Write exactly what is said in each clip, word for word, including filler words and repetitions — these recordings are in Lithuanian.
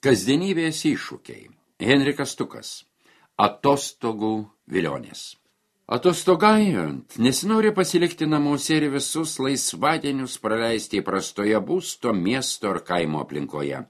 Kasdienybės iššūkiai. Henrikas Stukas. Atostogų vilionės. Atostogaujant, nesinori pasilikti namuose ir visus laisvadienius praleisti įprastoje būsto, miesto ar kaimo aplinkoje.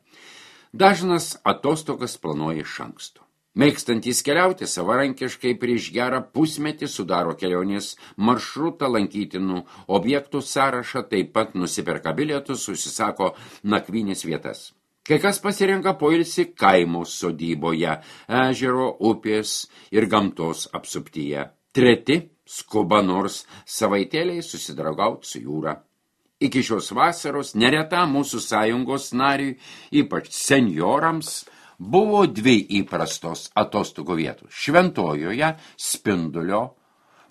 Dažnas atostogas planuoja iš anksto. Mėgstantys keliauti savarankiškai prieš gerą pusmetį sudaro kelionės maršrutą, lankytinų objektų sąrašą, taip pat nusiperka bilietus, užsisako nakvynės vietas. Kai kas pasirenka poilsį kaimo sodyboje, ežero, upės ir gamtos apsuptyje. Treti skuba nors savaitėliai susidraugauti su jūra. Iki šios vasaros nereta mūsų sąjungos nariui, ypač senjorams, buvo dvi įprastos atostogų vietos. Šventojoje Spindulio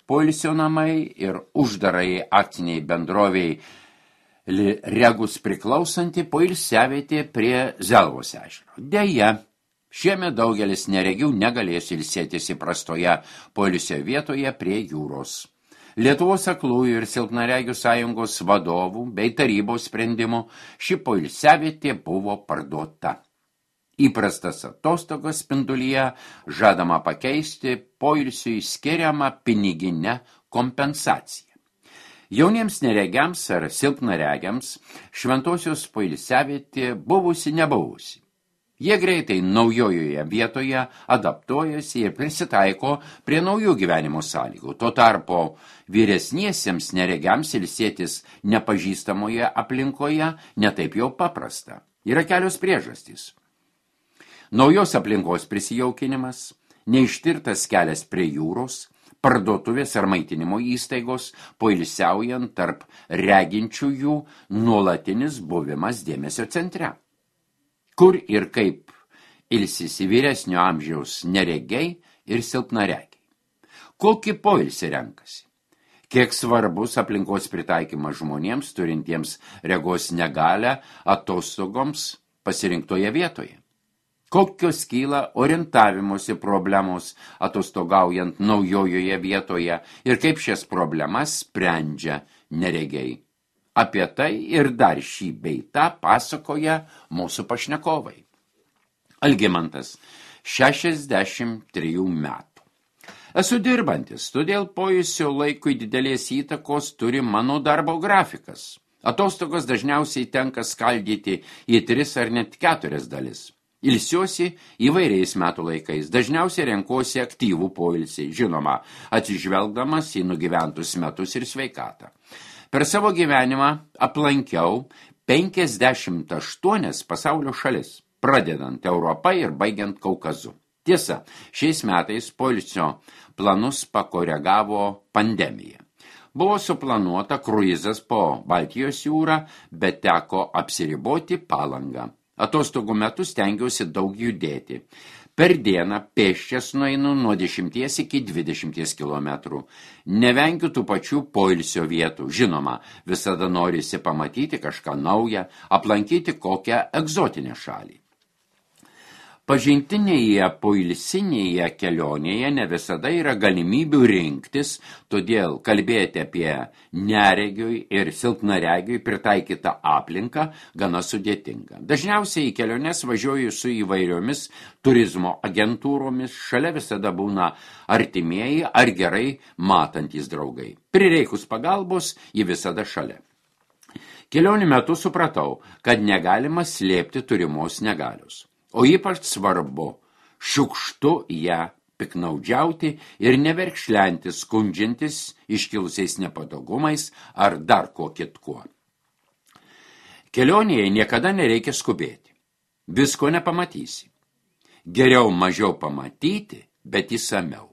poilsio namai ir uždarai akciniai bendroviai Regus priklausanti poilsiavietė prie Zelvos ežero. Deja, šiemet daugelis neregių negalės ilsėtis įprastoje poilsio vietoje prie jūros. Lietuvos aklųjų ir silpnaregių sąjungos vadovų bei tarybos sprendimų ši poilsiavietė buvo parduota. Įprastas atostogas Spindulyje žadama pakeisti poilsiui skiriamą piniginę kompensaciją. Jauniems neregiams ar silpnaregiams šventosios poilsiavietė buvusi nebuvusi. Jie greitai naujojoje vietoje adaptuojasi ir prisitaiko prie naujų gyvenimo sąlygų. Tuo tarpu vyresniesiems neregiams ilsėtis nepažįstamoje aplinkoje netaip jau paprasta. Yra kelios priežastys. Naujos aplinkos prisijaukinimas, neištirtas kelias prie jūros, parduotuvės ar maitinimo įstaigos, poilsiaujant tarp reginčiųjų nuolatinis buvimas dėmesio centre. Kur ir kaip ilsisi vyresnio amžiaus neregiai ir silpnaregiai. Kokį poilsį renkasi? Kiek svarbus aplinkos pritaikymas žmonėms, turintiems regos negalią atostogoms pasirinktoje vietoje? Kokios kyla orientavimosi problemos atostogaujant naujojoje vietoje ir kaip šias problemas sprendžia neregiai. Apie tai ir dar šį bei tą pasakoja mūsų pašnekovai. Algimantas, šešiasdešimt trejų metų. Esu dirbantis, todėl poilsio laikui didelės įtakos turi mano darbo grafikas. Atostogos dažniausiai tenka skaldyti į tris ar net keturias dalis. Ilsiuosi įvairiais metų laikais, dažniausiai renkuosi aktyvų poilsį, žinoma, atsižvelgdamas į nugyventus metus ir sveikatą. Per savo gyvenimą aplankiau penkiasdešimt aštuonias pasaulio šalis, pradedant Europą ir baigiant Kaukazu. Tiesa, šiais metais poilsio planus pakoregavo pandemija. Buvo suplanuota kruizas po Baltijos jūrą, bet teko apsiriboti Palangą. Atostogų metu stengiausi daug judėti. Per dieną pėsčias nueinu nuo dešimties iki dvidešimties kilometrų. Nevengiu tų pačių poilsio vietų. Žinoma, visada norisi pamatyti kažką naują, aplankyti kokią egzotinę šalį. Pažintinėje poilsinėje kelionėje ne visada yra galimybių rinktis, todėl kalbėti apie neregiui ir silpnaregiui pritaikytą aplinką gana sudėtinga. Dažniausiai į keliones važiuoju su įvairiomis turizmo agentūromis, šalia visada būna artimieji ar gerai matantys draugai. Prireikus pagalbos, ji visada šalia. Kelionių metu supratau, kad negalima slėpti turimos negalios. O ypač svarbu, šiukštu ją piknaudžiauti ir neverkšlenti, skundžiantis iškilusiais nepatogumais ar dar ko kitkuo. Kelionėje niekada nereikia skubėti. Visko nepamatysi. Geriau mažiau pamatyti, bet įsamiau.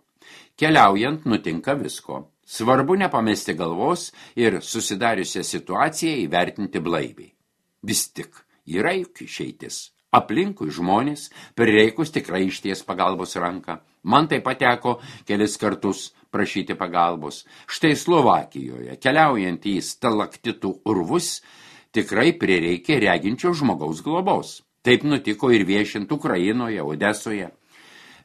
Keliaujant nutinka visko. Svarbu nepamesti galvos ir susidariusią situaciją įvertinti blaiviai. Vis tik yra juk išeitis. Aplinkui žmonės prireikus tikrai išties pagalbos ranką. Man tai pateko kelis kartus prašyti pagalbos. Štai Slovakijoje, keliaujant į stalaktitų urvus, tikrai prireikė reginčio žmogaus globos. Taip nutiko ir viešint Ukrainoje, Odesoje.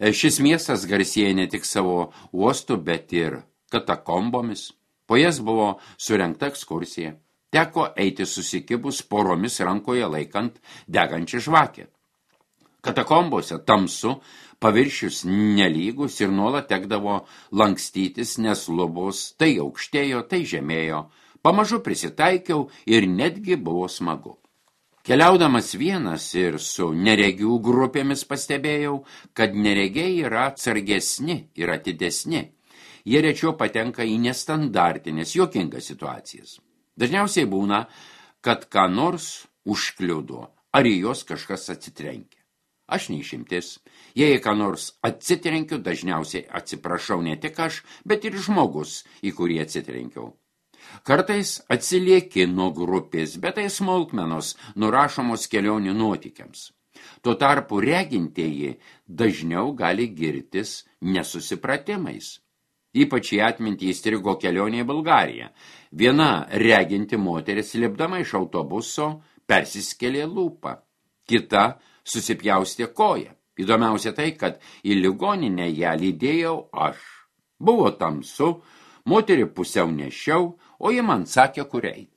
Šis miestas garsėja ne tik savo uostu, bet ir katakombomis. Po jas buvo surengta ekskursija. Teko eiti susikibus poromis rankoje laikant degančią žvakę. Katakombose tamsu, paviršius nelygus ir nuolat tekdavo lankstytis, nes lubos tai aukštėjo, tai žemėjo. Pamažu prisitaikiau ir netgi buvo smagu. Keliaudamas vienas ir su neregių grupėmis pastebėjau, kad neregiai yra atsargesni ir atidesni. Jie rečiau patenka į nestandartinės, juokingas situacijas. Dažniausiai būna, kad ką nors užkliudo, ar į jos kažkas atsitrenkia. Aš neišimtis. Jei ką nors atsitrenkiu, dažniausiai atsiprašau ne tik aš, bet ir žmogus, į kurį atsitrenkiau. Kartais atsilieki nuo grupės, bet tai smulkmenos nurašomos kelionių nuotykiams. Tuo tarpu regintieji dažniau gali girtis nesusipratimais. Ypač į atmintį įstrigo kelionė į Bulgariją. Viena reginti moteris lipdama iš autobuso persiskelė lūpą, kita susipjaustė koją. Įdomiausia tai, kad į ligoninę ją lydėjau aš. Buvo tamsu, moterį pusiau nešiau, o ji man sakė, kur eiti.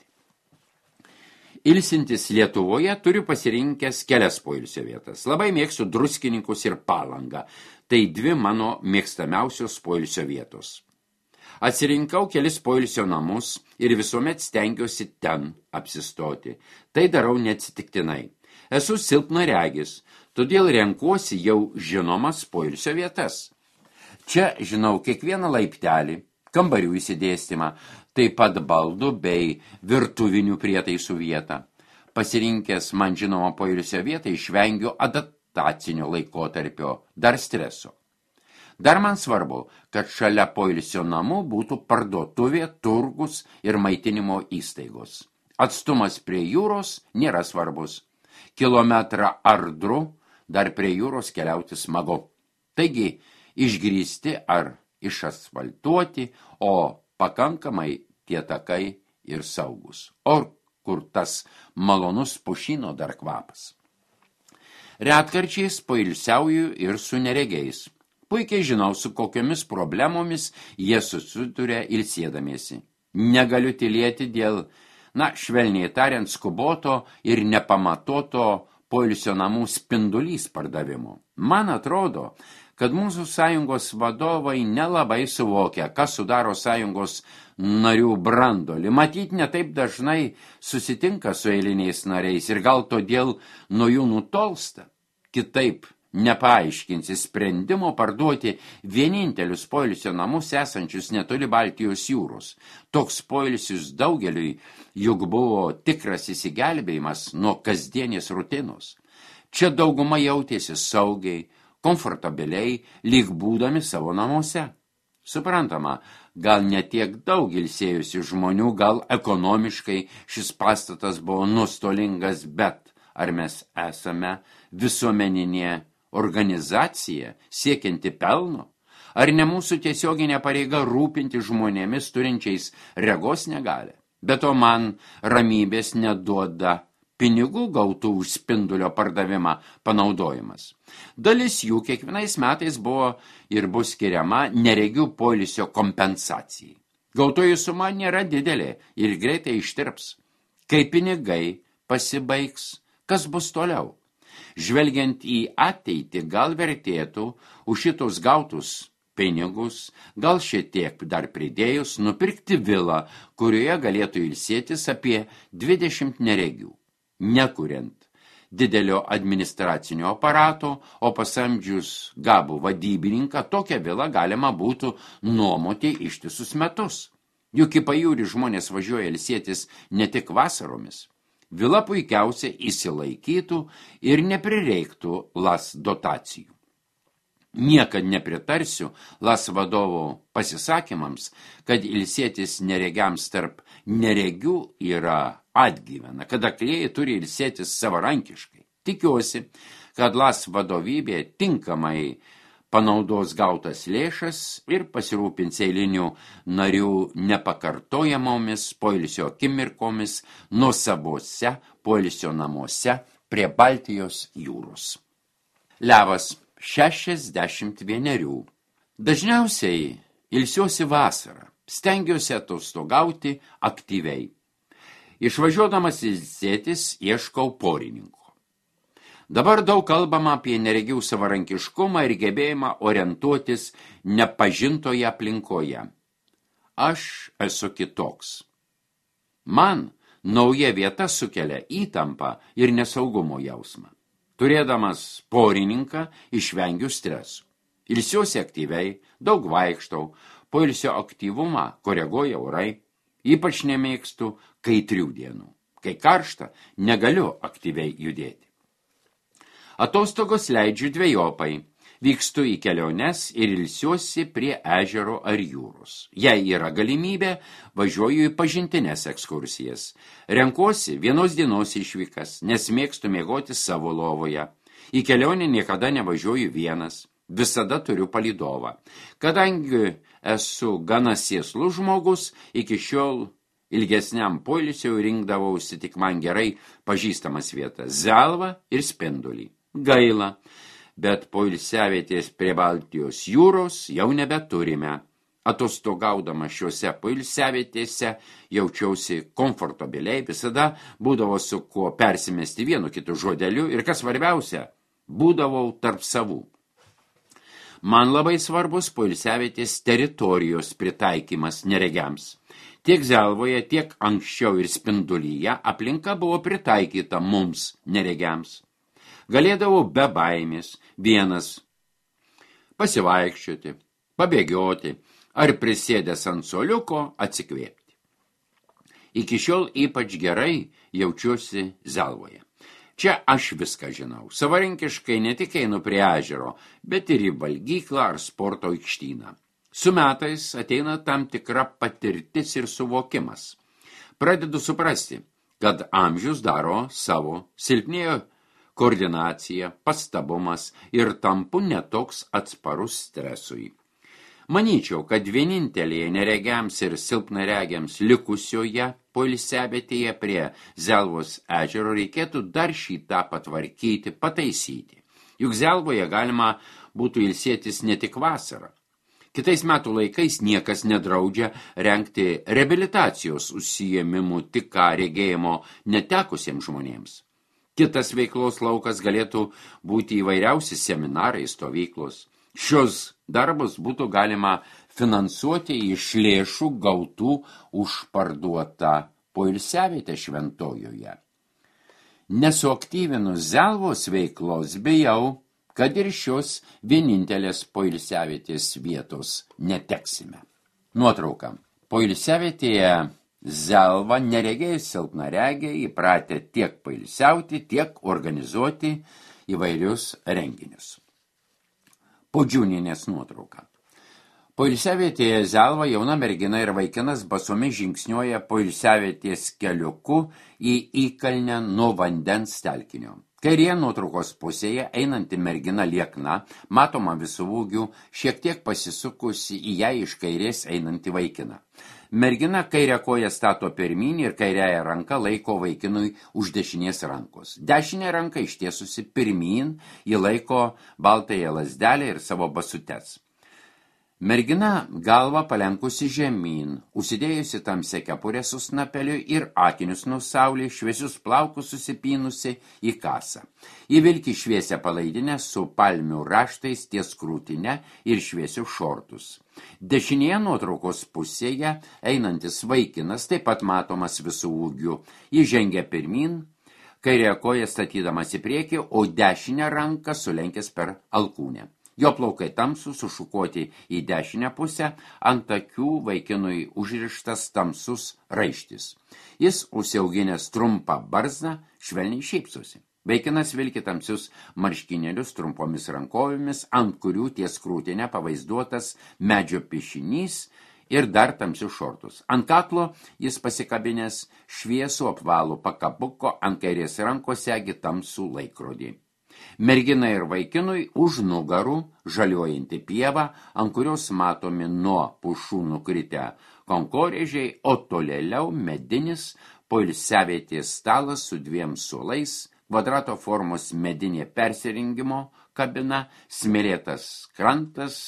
Ilsintis Lietuvoje turiu pasirinkęs kelias poilsio vietas. Labai mėgstu Druskininkus ir Palangą. Tai dvi mano mėgstamiausios poilsio vietos. Atsirinkau kelis poilsio namus ir visuomet stengiuosi ten apsistoti. Tai darau neatsitiktinai. Esu silpnaregis, todėl renkuosi jau žinomas poilsio vietas. Čia žinau kiekvieną laiptelį, kambarių įsidėstymą, taip pat baldų bei virtuvinių prietaisų vietą. Pasirinkęs man žinomą poilsio vietą išvengiu adaptacinio laikotarpio, dar streso. Dar man svarbu, kad šalia poilsio namų būtų parduotuvė, turgus ir maitinimo įstaigos. Atstumas prie jūros nėra svarbus. Kilometrą ar du dar prie jūros keliauti smagu. Taigi, išgrįsti ar išasfaltuoti, o pakankamai tie takai ir saugus. O kur tas malonus pušino dar kvapas. Retkarčiais poilsiauju ir su neregiais. Puikiai žinau, su kokiomis problemomis jie susiduria ilsėdamiesi. Negaliu tylėti dėl, na, švelniai tariant, skuboto ir nepamatoto poilsio namų spindulys pardavimo. Man atrodo, kad mūsų sąjungos vadovai nelabai suvokia, kas sudaro sąjungos narių brandolį. Matyt, netaip dažnai susitinka su eiliniais nariais ir gal todėl nuo jų nutolsta. Kitaip nepaaiškinsi sprendimo parduoti vienintelius poilsio namus esančius netoli Baltijos jūros. Toks poilsis daugeliui juk buvo tikras įsigelbėjimas nuo kasdienės rutinos. Čia dauguma jautėsi saugiai, komfortabiliai, lyg būdami savo namuose. Suprantama, gal netiek daug ilsėjusių žmonių, gal ekonomiškai šis pastatas buvo nuostolingas, bet ar mes esame visuomeninė organizacija siekianti pelno? Ar ne mūsų tiesioginė pareiga rūpinti žmonėmis turinčiais regos negalią? Be to man ramybės neduoda pinigų gautų už spindulio pardavimą panaudojimas. Dalis jų kiekvienais metais buvo ir bus skiriama neregių poilsio kompensacijai. Gautojų suma nėra didelė ir greitai ištirps. Kai pinigai pasibaigs, kas bus toliau? Žvelgiant į ateitį, gal vertėtų už šitos gautus pinigus, gal šiek tiek dar pridėjus, nupirkti vilą, kurioje galėtų ilsėtis apie dvidešimt neregių. Nekuriant didelio administracinio aparato, o pasamdžius gabų vadybininką, tokią vilą galima būtų nuomoti ištisus metus. Juk į pajūrį žmonės važiuoja ilsėtis ne tik vasaromis. Vila puikiausiai įsilaikytų ir neprireiktų las dotacijų. Niekad nepritarsiu las vadovo pasisakymams, kad ilsėtis neregiams tarp neregių yra atgyvena, kad aklieji turi ilsėtis savarankiškai. Tikiuosi, kad las vadovybė tinkamai panaudos gautas lėšas ir pasirūpins eilinių narių nepakartojamomis poilsio akimirkomis nuosavose poilsio namuose prie Baltijos jūros. Levas, šešiasdešimt vienerių. Dažniausiai ilsiuosi vasarą, stengiuosi atostogauti aktyviai. Išvažiuodamas ilsėtis ieškau porininko. Dabar daug kalbama apie neregių savarankiškumą ir gebėjimą orientuotis nepažintoje aplinkoje. Aš esu kitoks. Man nauja vieta sukelia įtampą ir nesaugumo jausmą. Turėdamas porininką išvengiu stresų. Ilsiuosi aktyviai, daug vaikštau, poilsio aktyvumą koreguoja orai, ypač nemėgstu kaitrių dienų. Kai karšta, negaliu aktyviai judėti. Atostogos leidžiu dvejopai. Vykstu į keliones ir ilsiuosi prie ežero ar jūros. Jei yra galimybė, važiuoju į pažintines ekskursijas. Renkuosi vienos dienos išvykas, nes mėgstu miegoti savo lovoje. Į kelionę niekada nevažiuoju vienas, visada turiu palydovą. Kadangi esu gana sėslus žmogus, iki šiol ilgesniam poilsiui rinkdavausi tik man gerai pažįstamas vietas – Zelvą ir Spindulį. Gaila, bet poilsiavietės prie Baltijos jūros jau nebeturime. Atostogaudama šiuose poilsiavietėse jaučiausi komfortabiliai, visada būdavo su kuo persimesti vienu kitu žodeliu ir, kas svarbiausia, būdavau tarp savų. Man labai svarbus poilsiavietės teritorijos pritaikymas neregiams. Tiek Zelvoje, tiek anksčiau ir Spindulyje aplinka buvo pritaikyta mums neregiams. Galėdavau be baimės vienas pasivaikščioti, pabėgioti ar prisėdęs ant suoliuko atsikvėpti. Iki šiol ypač gerai jaučiuosi Zelvoje. Čia aš viską žinau. Savarankiškai ne tik einu prie ežero, bet ir į valgyklą ar sporto aikštyną. Su metais ateina tam tikra patirtis ir suvokimas. Pradedu suprasti, kad amžius daro savo, silpnėjo koordinacija, pastabumas ir tampu netoks atsparus stresui. Manyčiau, kad vienintelėje neregiams ir silpnaregiams likusioje poilsiavietėje prie Zelvos ežero reikėtų dar šį tą patvarkyti, pataisyti. Juk Zelvoje galima būtų ilsėtis ne tik vasarą. Kitais metų laikais niekas nedraudžia rengti reabilitacijos užsiėmimų tik ką regėjimo netekusiems žmonėms. Kitas veiklos laukas galėtų būti įvairiausi seminarai, stovyklos. Šios darbus būtų galima finansuoti iš lėšų gautų už parduotą poilsiavietę Šventojoje. Nesuaktyvinus Zelvos veiklos, bijau, kad ir šios vienintelės poilsiavietės vietos neteksime. Nuotrauka. Poilsiavietėje Zelva neregiai silpnaregiai įpratę tiek pailsiauti, tiek organizuoti įvairius renginius. Podžiūninės nuotrauka. Poilsiavietėje Zelva jauna mergina ir vaikinas basomis žingsniuoja poilsiavietės keliuku į įkalnę nuo vandens telkinio. Kairėje nuotraukos pusėje einanti mergina liekna, matoma visų ūgių, šiek tiek pasisukusi į ją iš kairės einantį vaikiną. Mergina kairę koją stato pirmyn ir kairiąją ranką laiko vaikinui už dešinės rankos. Dešinė ranka ištiesusi pirmyn, ji laiko baltąją lazdelę ir savo basutes. Mergina galva palenkusi žemyn, užsidėjusi tamsią kepurę su snapeliu ir akinius nuo saulės, šviesius plaukus susipynusi į kasą. Ji vilki šviesią palaidinę su palmių raštais ties krūtine ir šviesius šortus. Dešinėje nuotraukos pusėje einantis vaikinas taip pat matomas visų ūgių. Ji žengia pirmyn, kairę koją statydamas į priekį, o dešinę ranką sulenkęs per alkūnę. Jo plaukai tamsų, sušukuoti į dešinę pusę, ant akių vaikinui užrištas tamsus raištis. Jis užsiauginęs trumpą barzdą, švelniai šypsosi. Vaikinas vilki tamsius marškinėlius trumpomis rankovėmis, ant kurių ties krūtinė pavaizduotas medžio piešinys ir dar tamsius šortus. Ant kaklo jis pasikabinęs šviesų apvalų pakabuko, ant kairės rankos segi tamsų laikrodį. Mergina ir vaikinui už nugarų žaliuojanti pieva, ant kurios matomi nuo pušų nukritę konkorėžiai, o tolėliau medinis poilsiavietės stalas su dviem suolais, kvadrato formos medinė persirengimo kabina, smėlėtas krantas,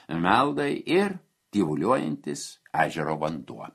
meldai ir tyvuliuojantis ežero vanduo.